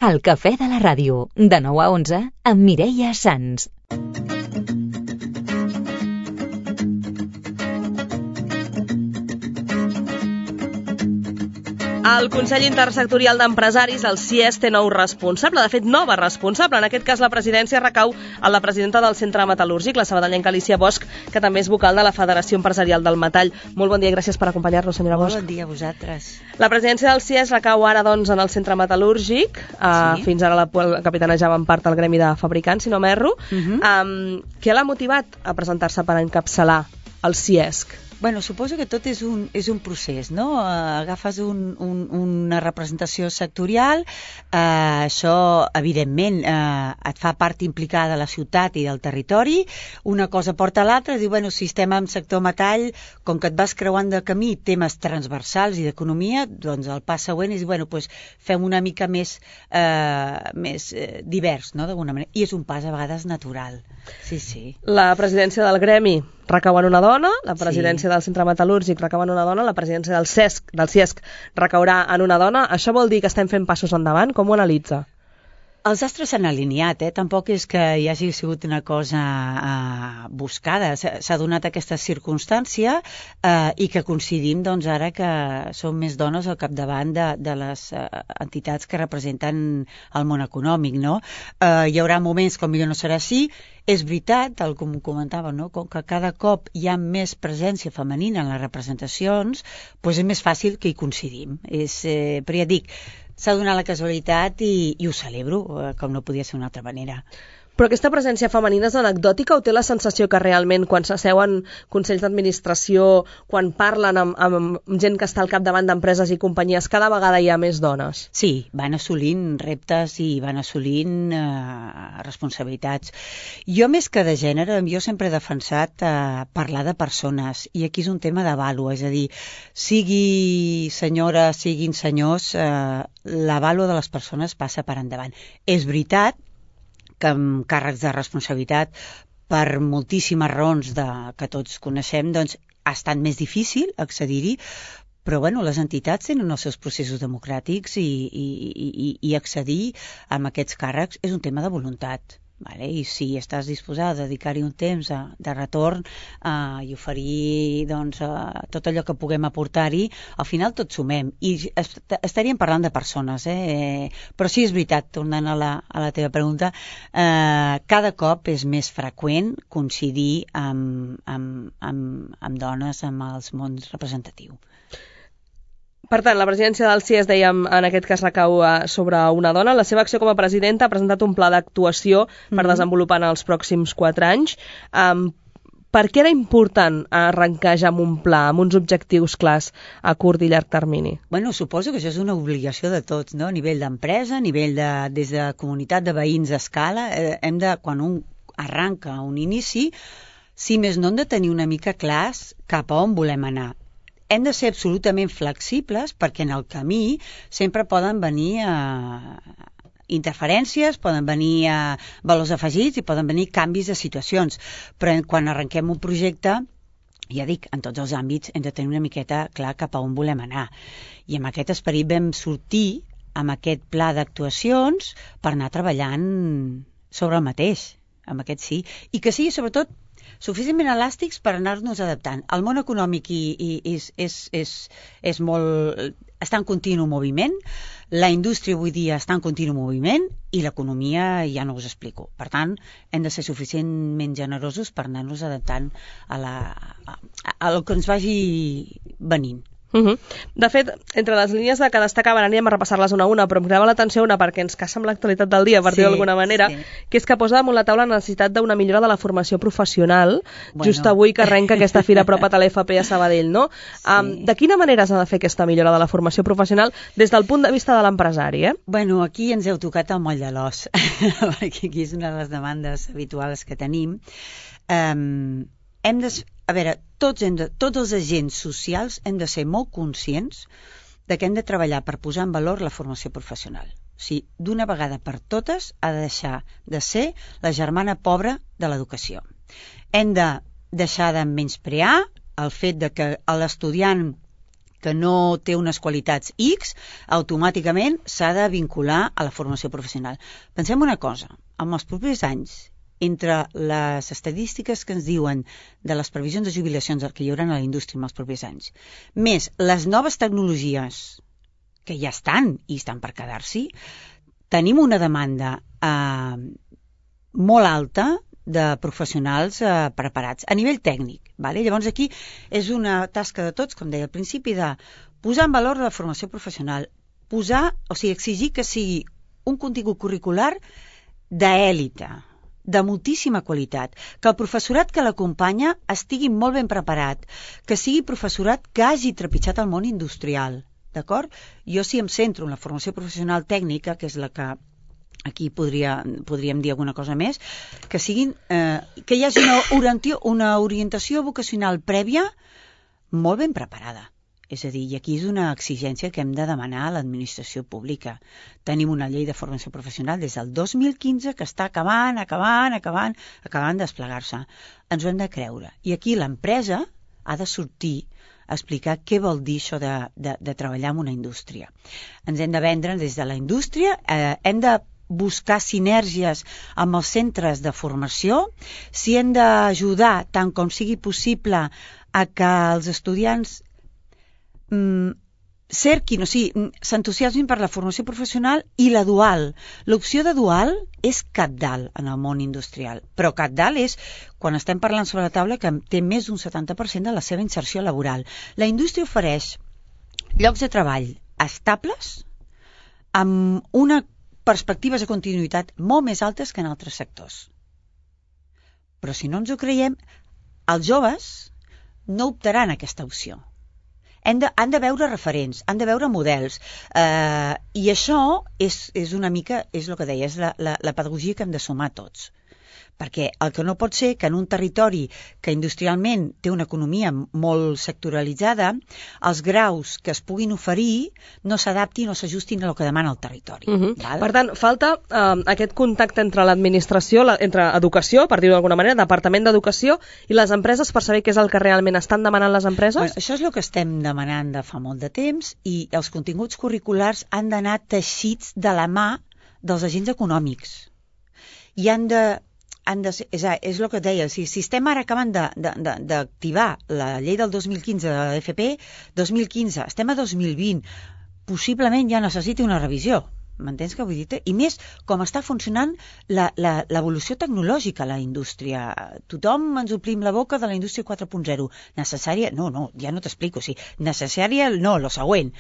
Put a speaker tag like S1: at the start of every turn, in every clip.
S1: El cafè de la ràdio, de 9 a 11, amb Mireia Sans.
S2: El Consell Intersectorial d'Empresaris, el CIES, té nou responsable, de fet nova responsable. En aquest cas la presidència recau a la presidenta del Centre Metal·lúrgic, la sabadellenca Alicia Bosch, que també és vocal de la Federació Empresarial del Metall. Molt bon dia i gràcies per acompanyar-nos, senyora Bosch.
S3: Molt bon dia a vosaltres.
S2: La presidència del CIES recau ara doncs, en el Centre Metal·lúrgic. Sí. Fins ara la capitanejava en part el gremi de fabricants, si no m'erro. Què l'ha motivat a presentar-se per encapçalar el CIESC?
S3: Bueno, suposo que tot és un procés, no? Agafes una representació sectorial, això, evidentment, et fa part implicada de la ciutat i del territori, una cosa porta a l'altra, diu, bueno, si estem en sector metall, com que et vas creuant de camí temes transversals i d'economia, doncs el pas següent és, bueno, doncs fem una mica més divers, no?, d'alguna manera. I és un pas a vegades natural. Sí, sí.
S2: La presidència del gremi recau en una dona, la presidència del Centre Metal·lúrgic recau en una dona, la presidència del CIESC recaurà en una dona. Això vol dir que estem fent passos endavant? Com ho analitza?
S3: Els astres s'han alineat, tampoc és que hi hagi sigut una cosa buscada. S'ha donat aquesta circumstància i que coincidim doncs, ara que són més dones al capdavant de les entitats que representen el món econòmic. No? Hi haurà moments com millor no serà així. És veritat, com comentava, no? Com que cada cop hi ha més presència femenina en les representacions, doncs és més fàcil que hi coincidim. Però ja dic, s'ha donat la casualitat i ho celebro, com no podia ser d'una altra manera.
S2: Però aquesta presència femenina és anecdòtica o té la sensació que realment quan s'asseuen consells d'administració, quan parlen amb gent que està al capdavant d'empreses i companyies, cada vegada hi ha més dones?
S3: Sí, van assolint reptes i van assolint responsabilitats. Jo, més que de gènere, jo sempre he defensat parlar de persones, i aquí és un tema de vàlua, és a dir, sigui senyora, siguin senyors, la vàlua de les persones passa per endavant. És veritat que amb càrrecs de responsabilitat, per moltíssimes raons que tots coneixem, doncs ha estat més difícil accedir-hi, però bueno, les entitats tenen els seus processos democràtics i accedir a aquests càrrecs és un tema de voluntat. Vale? I si estàs disposada a dedicar-hi un temps de retorn i oferir tot allò que puguem aportar-hi, al final tots sumem. I estaríem parlant de persones, però sí és veritat, tornant a la teva pregunta, cada cop és més freqüent coincidir amb dones amb els mons representatius.
S2: Per tant, la presidència del CIES, dèiem, en aquest cas recau sobre una dona. La seva acció com a presidenta ha presentat un pla d'actuació per desenvolupar en els pròxims 4 anys. Per què era important arrencar ja amb un pla, amb uns objectius clars a curt i llarg termini?
S3: Bueno, suposo que això és una obligació de tots, no? A nivell d'empresa, a nivell des de comunitat de veïns a escala, quan un arranca un inici, si més no hem de tenir una mica clars cap a on volem anar. Hem de ser absolutament flexibles perquè en el camí sempre poden venir interferències, poden venir valors afegits i poden venir canvis de situacions. Però quan arrenquem un projecte, ja dic, en tots els àmbits hem de tenir una miqueta clar cap a on volem anar. I amb aquest esperit vam sortir amb aquest pla d'actuacions per anar treballant sobre el mateix, amb aquest sí. I que sigui sobretot suficientment elàstics per anar-nos adaptant. El món econòmic està en continu moviment, la indústria avui dia està en continu moviment i l'economia ja no us explico. Per tant, hem de ser suficientment generosos per anar-nos adaptant al que ens vagi venint.
S2: De fet, entre les línies que destacaven, anirem a repassar-les una a una, però em cridava l'atenció una perquè ens casa amb l'actualitat del dia, per dir-ho d'alguna manera, que és que posa damunt la taula la necessitat d'una millora de la formació professional, just avui que arrenca aquesta fira apropa't a l'FP a Sabadell, no? De quina manera s'ha de fer aquesta millora de la formació professional des del punt de vista de l'empresari?
S3: Bueno, aquí ens heu tocat el moll de l'os, perquè aquí és una de les demandes habituals que tenim. A veure, tots els agents socials hem de ser molt conscients de que hem de treballar per posar en valor la formació professional. O sigui, d'una vegada per totes ha de deixar de ser la germana pobra de l'educació. Hem de deixar de menysprear el fet de que l'estudiant que no té unes qualitats X, automàticament s'ha de vincular a la formació professional. Pensem una cosa, en els propers anys, entre les estadístiques que ens diuen de les previsions de jubilacions que hi haurà a la indústria en els propers anys, més les noves tecnologies que ja estan i estan per quedar-s'hi, tenim una demanda molt alta de professionals preparats a nivell tècnic. Vale? Llavors aquí és una tasca de tots, com deia al principi, de posar en valor la formació professional, exigir que sigui un contingut curricular d'èlite, de moltíssima qualitat, que el professorat que l'acompanya estigui molt ben preparat, que sigui professorat que hagi trepitjat el món industrial. D'acord? Jo sí em centro en la formació professional tècnica, que és la que aquí podríem dir alguna cosa més, que hi hagi una orientació vocacional prèvia molt ben preparada. És a dir, i aquí és una exigència que hem de demanar a l'administració pública. Tenim una llei de formació professional des del 2015 que està acabant de desplegar-se. Ens ho hem de creure. I aquí l'empresa ha de sortir a explicar què vol dir això de treballar en una indústria. Ens hem de vendre des de la indústria, hem de buscar sinergies amb els centres de formació, si hem d'ajudar tant com sigui possible a que els estudiants s'entusiasmin per la formació professional i la dual. L'opció de dual és cabdal en el món industrial, però cabdal és quan estem parlant sobre la taula que té més d'un 70% de la seva inserció laboral. La indústria ofereix llocs de treball estables amb una perspectives de continuïtat molt més altes que en altres sectors. Però si no ens ho creiem, els joves no optaran a aquesta opció. Han de veure referents, han de veure models, i això és una mica, és el que deia, és la pedagogia que hem de sumar tots. Perquè el que no pot ser que en un territori que industrialment té una economia molt sectoralitzada, els graus que es puguin oferir no s'adaptin o s'ajustin a el que demana el territori.
S2: Per tant, falta aquest contacte entre l'administració, entre educació, per dir-ho d'alguna manera, Departament d'Educació i les empreses per saber què és el que realment estan demanant les empreses?
S3: Bueno, això és el que estem demanant de fa molt de temps i els continguts curriculars han d'anar teixits de la mà dels agents econòmics. I és el que et deia, si estem ara acabant d'activar la llei del 2015 de l'FP, 2015, estem a 2020, possiblement ja necessiti una revisió, m'entens què vull dir? I més, com està funcionant l'evolució tecnològica a la indústria. Tothom ens omplim la boca de la indústria 4.0. Necessària? No, ja no t'explico. Necessària? No, lo següent.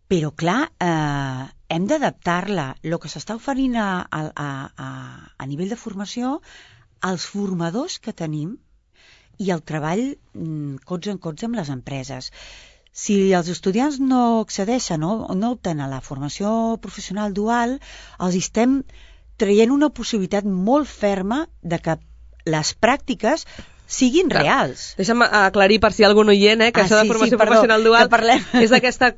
S3: Però, clar, hem d'adaptar-la. El que s'està oferint a nivell de formació, als formadors que tenim i el treball cots en cots amb les empreses. Si els estudiants no accedeixen o no opten a la formació professional dual, els estem traient una possibilitat molt ferma de que les pràctiques siguin reals.
S2: Deixa'm aclarir per si hi ha algun oient, que això de formació professional dual és aquesta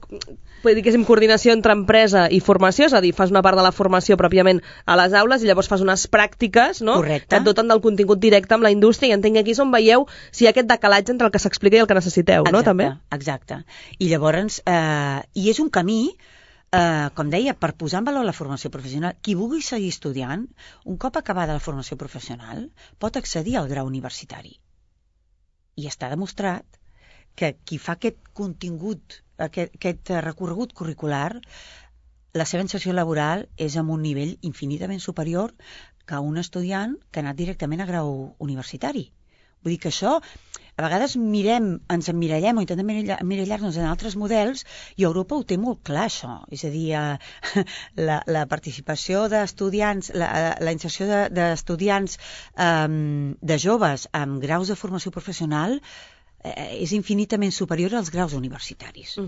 S2: coordinació entre empresa i formació, és a dir, fas una part de la formació pròpiament a les aules i llavors fas unes pràctiques, no?
S3: Correcte.
S2: Que et doten del contingut directe amb la indústria, i entenc que aquí és on veieu si hi ha aquest decalatge entre el que s'explica i el que necessiteu, no? També?
S3: Exacte. I llavors, i és un camí, com deia, per posar en valor la formació professional. Qui vulgui seguir estudiant, un cop acabada la formació professional, pot accedir al grau universitari. I està demostrat que qui fa aquest contingut, aquest recorregut curricular, la seva inserció laboral és amb un nivell infinitament superior que un estudiant que ha anat directament a grau universitari. Vull dir que això, a vegades ens emmirallem o intentem emmirallar-nos en altres models, i Europa ho té molt clar, això. És a dir, la participació d'estudiants, la inserció d'estudiants de joves amb graus de formació professional és infinitament superior als graus universitaris.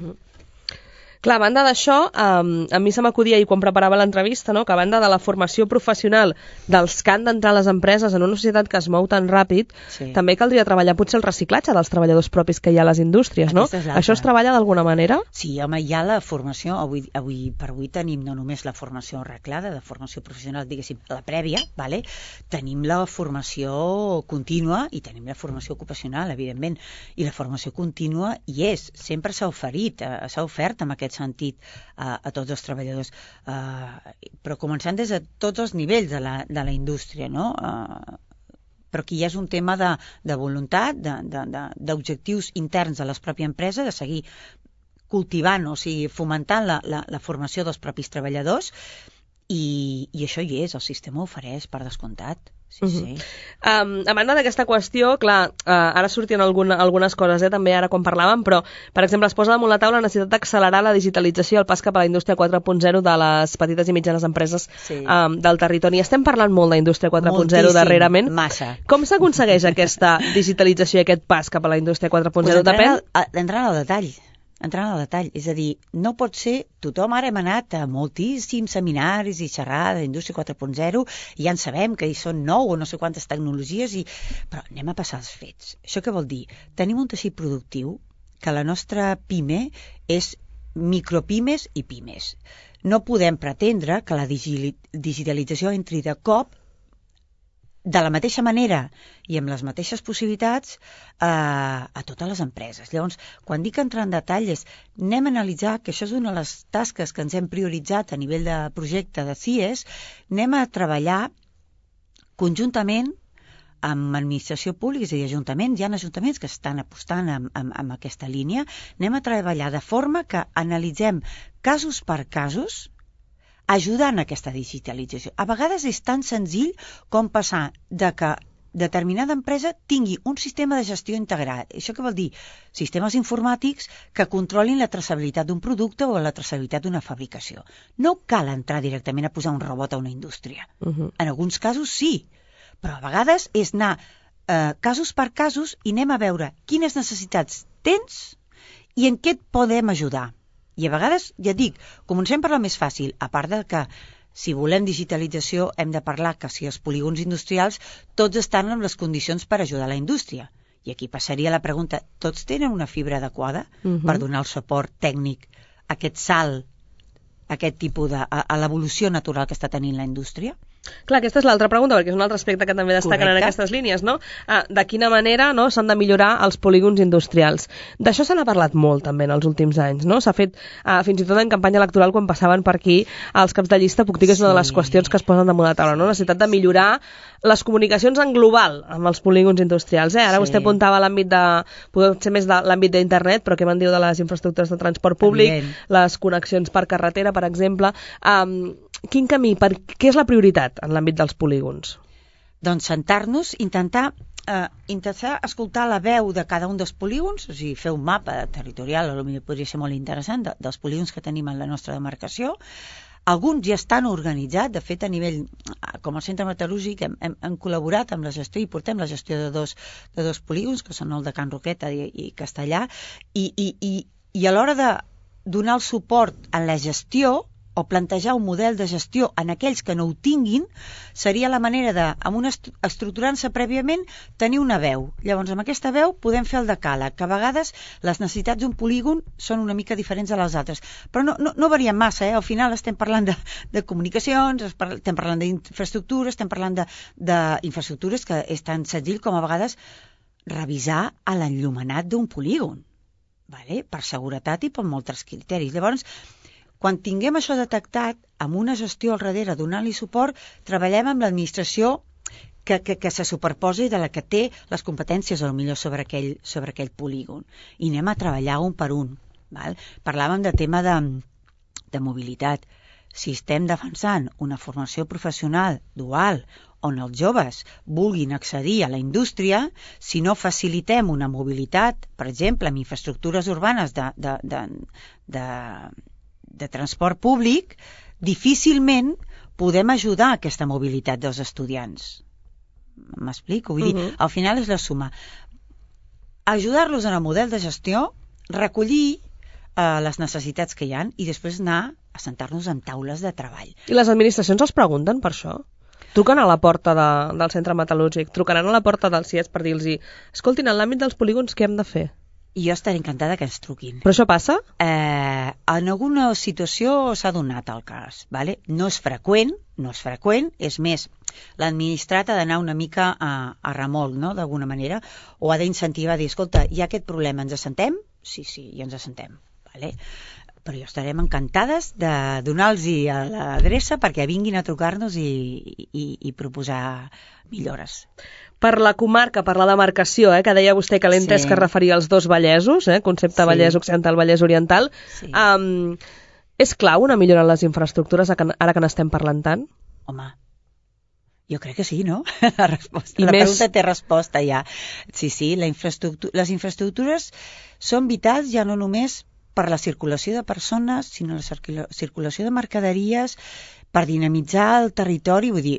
S2: Clar, a banda d'això, a mi se m'acudia ahir quan preparava l'entrevista, no? Que a banda de la formació professional dels que han d'entrar a les empreses en una societat que es mou tan ràpid, també caldria treballar potser el reciclatge dels treballadors propis que hi ha a les indústries, no? Això es treballa d'alguna manera?
S3: Sí, home, hi ha la formació, avui tenim no només la formació reglada, de formació professional, diguéssim, la prèvia, vale? Tenim la formació contínua i tenim la formació ocupacional, evidentment, i la formació contínua hi és, sempre s'ha ofert en aquest sentit a tots els treballadors, però començant des de tots els nivells de la indústria, no? Però aquí ja és un tema de voluntat, d'objectius interns de la pròpia empresa, de seguir cultivant, o sigui, fomentant la formació dels propis treballadors, i això hi és, el sistema ho ofereix, per descomptat. Sí.
S2: A banda d'aquesta qüestió, clar, ara sortien algunes coses, també ara quan parlàvem, però, per exemple, es posa damunt la taula la necessitat d'accelerar la digitalització i el pas cap a la indústria 4.0 de les petites i mitjanes empreses del territori. Estem parlant molt d'indústria 4.0 darrerament.
S3: Massa.
S2: Com s'aconsegueix aquesta digitalització i aquest pas cap a la indústria 4.0?
S3: Entrant al detall. És a dir, no pot ser, tothom ara hem anat a moltíssims seminaris i xerrades d'indústria 4.0 i ja en sabem que hi són 9 o no sé quantes tecnologies, però anem a passar als fets. Això què vol dir? Tenim un teixit productiu que la nostra PIME és micropimes i pimes. No podem pretendre que la digitalització entri de cop de la mateixa manera i amb les mateixes possibilitats a totes les empreses. Llavors, quan dic entrar en detall anem a analitzar, que això és una de les tasques que ens hem prioritzat a nivell de projecte de CIES, anem a treballar conjuntament amb administració pública, és a dir, ajuntaments, hi ha ajuntaments que estan apostant en aquesta línia, anem a treballar de forma que analitzem casos per casos, ajudant a aquesta digitalització. A vegades és tan senzill com passar de que determinada empresa tingui un sistema de gestió integrat. Això què vol dir? Sistemes informàtics que controlin la traçabilitat d'un producte o la traçabilitat d'una fabricació. No cal entrar directament a posar un robot a una indústria. En alguns casos sí, però a vegades és anar casos per casos i anem a veure quines necessitats tens i en què et podem ajudar. I a vegades, ja dic, comencem per la més fàcil, a part de que si volem digitalització hem de parlar que si els polígons industrials tots estan en les condicions per ajudar la indústria. I aquí passaria la pregunta, tots tenen una fibra adequada per donar el suport tècnic a aquest salt, a aquest tipus a l'evolució natural que està tenint la indústria?
S2: Clar, aquesta és l'altra pregunta, perquè és un altre aspecte que també destaquen en aquestes línies, no? De quina manera s'han de millorar els polígons industrials. D'això se n'ha parlat molt també en els últims anys, no? S'ha fet fins i tot en campanya electoral quan passaven per aquí els caps de llista, puc dir que és una de les qüestions que es posen damunt la taula, no? La necessitat de millorar les comunicacions en global amb els polígons industrials. Ara vostè apuntava l'àmbit potser més de l'àmbit d'internet, però què me'n diu de les infraestructures de transport públic, les connexions per carretera, per exemple. Quin camí, què és la prioritat en l'àmbit dels polígons?
S3: Doncs sentar-nos, intentar escoltar la veu de cada un dels polígons, o sigui, fer un mapa territorial, potser podria ser molt interessant, dels polígons que tenim en la nostra demarcació. Alguns ja estan organitzats, de fet a nivell, com el centre metal·lúrgic hem col·laborat amb la gestió i portem la gestió de dos polígons, que són el de Can Roqueta i Castellà, i a l'hora de donar el suport en la gestió, o plantejar un model de gestió en aquells que no ho tinguin, seria la manera de, estructurant-se prèviament, tenir una veu. Llavors, amb aquesta veu podem fer el decàleg, que a vegades les necessitats d'un polígon són una mica diferents de les altres. Però no varien massa, Al final estem parlant de comunicacions, estem parlant d'infraestructures, estem parlant d'infraestructures que és tan senzill com a vegades revisar l'enllumenat d'un polígon, per seguretat i per molts criteris. Llavors, quan tinguem això detectat, amb una gestió al darrere, donant-li suport, treballem amb l'administració que se superposa i de la que té les competències, potser sobre aquell polígon. I anem a treballar un per un. Parlàvem de tema de mobilitat. Si estem defensant una formació professional dual on els joves vulguin accedir a la indústria, si no facilitem una mobilitat, per exemple, amb infraestructures urbanes de transport públic, difícilment podem ajudar a aquesta mobilitat dels estudiants. M'explico? Vull dir, al final és la suma. Ajudar-los en el model de gestió, recollir les necessitats que hi ha i després anar a sentar-nos en taules de treball.
S2: I les administracions els pregunten per això? Truquen a la porta del centre metal·lúrgic, trucaran a la porta del CIES per dir-los escoltin, en l'àmbit dels polígons què hem de fer?
S3: I jo estaré encantada que ens truquin.
S2: Però això passa?
S3: En alguna situació s'ha donat el cas, ¿vale? No és freqüent, és més, l'administrat ha d'anar una mica a remolc, no?, d'alguna manera, o ha d'incentivar a dir, escolta, hi ha aquest problema, ens assentem? Sí, i ens assentem, ¿vale? Però jo estarem encantades de donar-los a l'adreça perquè vinguin a trucar-nos i proposar millores.
S2: Per la comarca, per la demarcació, que deia vostè que l'he entès que es referia als dos Vallesos, concepte Vallès Occidental, Vallès Oriental. Sí. És clau una millora en les infraestructures ara que n'estem parlant tant?
S3: Home, jo crec que sí, no? La pregunta té resposta ja. Sí, les infraestructures són vitals ja no només per la circulació de persones, sinó la circulació de mercaderies, per dinamitzar el territori, vull dir,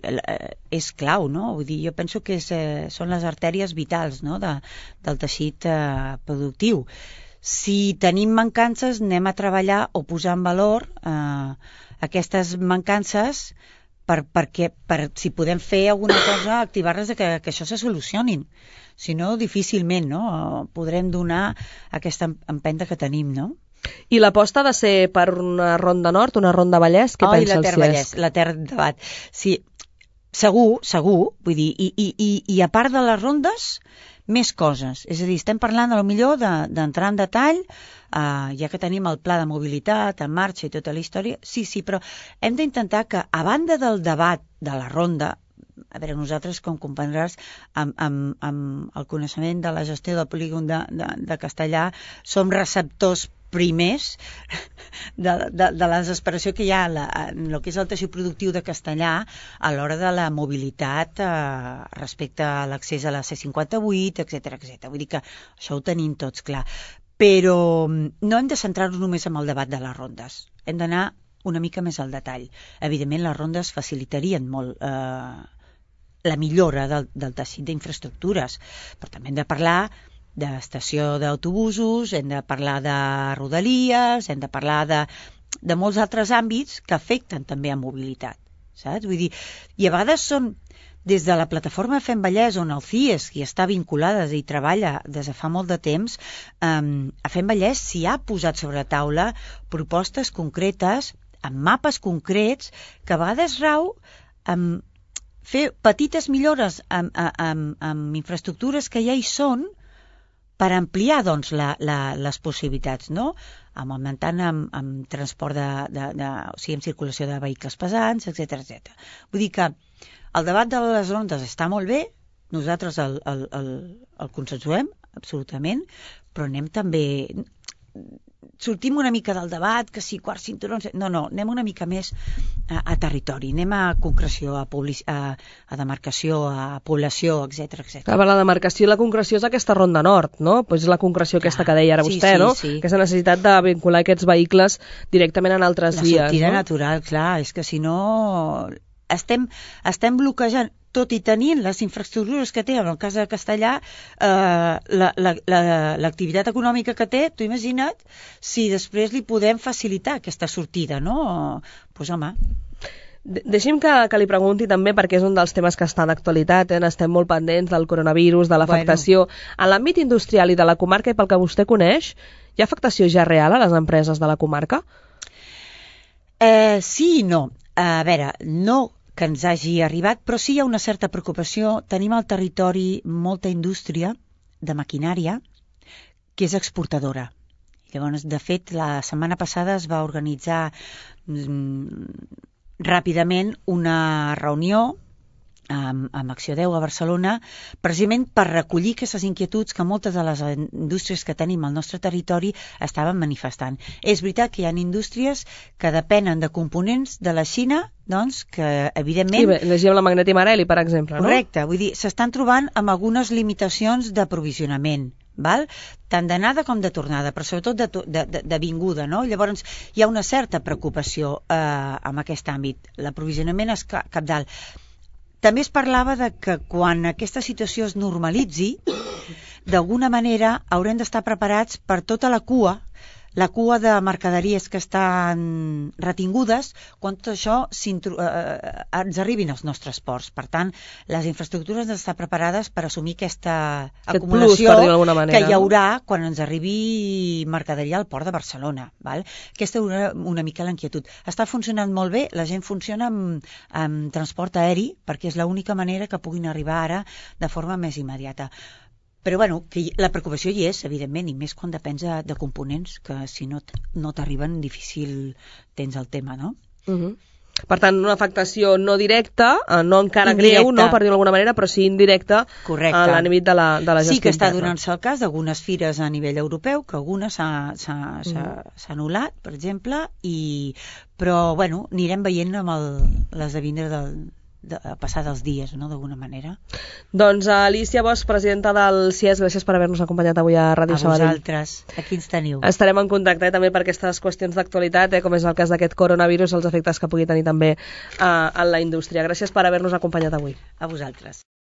S3: és clau, no? Vull dir, jo penso que són les artèries vitals, no?, del teixit productiu. Si tenim mancances, anem a treballar o posar en valor aquestes mancances per si podem fer alguna cosa, activar-les que això se solucionin. Si no, difícilment, no?, podrem donar aquesta empenta que tenim, no?
S2: I l'aposta ha de ser per una ronda nord, una ronda Vallès? Què pensa el CIES?
S3: La Ter Debat. Sí, segur, vull dir, i a part de les rondes, més coses. És a dir, estem parlant a lo millor d'entrar en detall, ja que tenim el pla de mobilitat en marxa i tota la història, sí, però hem d'intentar que, a banda del debat de la ronda, a veure, nosaltres, com comprendràs, amb el coneixement de la gestió del polígon de Castellar, som receptors primers de la desesperació que hi ha en el que és el teixit productiu de Castellar a l'hora de la mobilitat respecte a l'accés a la C58, etc. Vull dir que això ho tenim tots clar. Però no hem de centrar-nos només en el debat de les rondes. Hem d'anar una mica més al detall. Evidentment, les rondes facilitarien molt la millora del teixit d'infraestructures, però també hem de parlar d'estació d'autobusos, hem de parlar de rodalies, hem de parlar de molts altres àmbits que afecten també a mobilitat, saps? Vull dir, i a vegades són des de la plataforma Fem Vallès, on el CIES hi està vinculada i treballa des de fa molt de temps, a Fem Vallès s'hi ha posat sobre la taula propostes concretes, amb mapes concrets, que a vegades rau amb fer petites millores amb infraestructures que ja hi són, per ampliar, doncs, les possibilitats, no? Augmentant amb transport o sigui, amb circulació de vehicles pesants, etc. Vull dir que el debat de les rondes està molt bé, nosaltres el consensuem, absolutament, però anem també... Sortim una mica del debat, que si quarts cinturons... No, anem una mica més a territori, anem a concreció, a demarcació, a població, etc.
S2: La demarcació i la concreció és aquesta ronda nord, no? Pues és la concreció aquesta que deia ara vostè, no? Sí. Aquesta necessitat de vincular aquests vehicles directament en altres vies.
S3: La sortida natural, clar, és que si no... Estem bloquejant, tot i tenint les infraestructures que té, en el cas de Castellar, l'activitat econòmica que té, t'ho imagina't, si després li podem facilitar aquesta sortida, no? Doncs home...
S2: Deixi'm que li pregunti també, perquè és un dels temes que està d'actualitat, estem molt pendents del coronavirus, de l'afectació. En l'àmbit industrial i de la comarca, i pel que vostè coneix, hi ha afectació ja real a les empreses de la comarca?
S3: Sí i no. A veure, no que ens hagi arribat, però sí hi ha una certa preocupació. Tenim al territori molta indústria de maquinària que és exportadora. Llavors, de fet, la setmana passada es va organitzar ràpidament una reunió amb Acció 10 a Barcelona, precisament per recollir aquestes inquietuds que moltes de les indústries que tenim al nostre territori estaven manifestant. És veritat que hi ha indústries que depenen de components de la Xina, doncs, que evidentment...
S2: Sí, llegíem la Magneti Marelli, per exemple, no?
S3: Correcte, vull dir, s'estan trobant amb algunes limitacions d'aprovisionament, val? Tant d'anada com de tornada, però sobretot de vinguda, no? Llavors hi ha una certa preocupació en aquest àmbit. L'aprovisionament és cabdal. També es parlava de que quan aquesta situació es normalitzi, d'alguna manera haurem d'estar preparats per tota la cua la cua de mercaderies que estan retingudes quan tot això ens arribin als nostres ports. Per tant, les infraestructures han d'estar preparades per assumir aquesta acumulació que hi haurà quan ens arribi mercaderia al port de Barcelona. Val? Aquesta és una mica l'inquietud. Està funcionant molt bé, la gent funciona amb transport aeri perquè és l'única manera que puguin arribar ara de forma més immediata. Però bueno, que la preocupació hi és, evidentment, i més quan depens de components, que si no t'arriben difícil tens el tema, no?
S2: Per tant, una afectació no directa, no encara greu, no, per dir-ho d'alguna manera, però sí indirecta a l'àmbit de la gestió.
S3: Sí que està donant-se el cas d'algunes fires a nivell europeu, que algunes s'ha anul·lat, per exemple, però bueno, anirem veient amb l'esdevenir a passar dels dies, no?, d'alguna manera.
S2: Doncs Alicia Bosch, presidenta del CIES, gràcies per haver-nos acompanyat avui a Ràdio Sabadell.
S3: A vosaltres, aquí ens teniu.
S2: Estarem en contacte també per aquestes qüestions d'actualitat, com és el cas d'aquest coronavirus, els efectes que pugui tenir també en la indústria. Gràcies per haver-nos acompanyat avui.
S3: A vosaltres.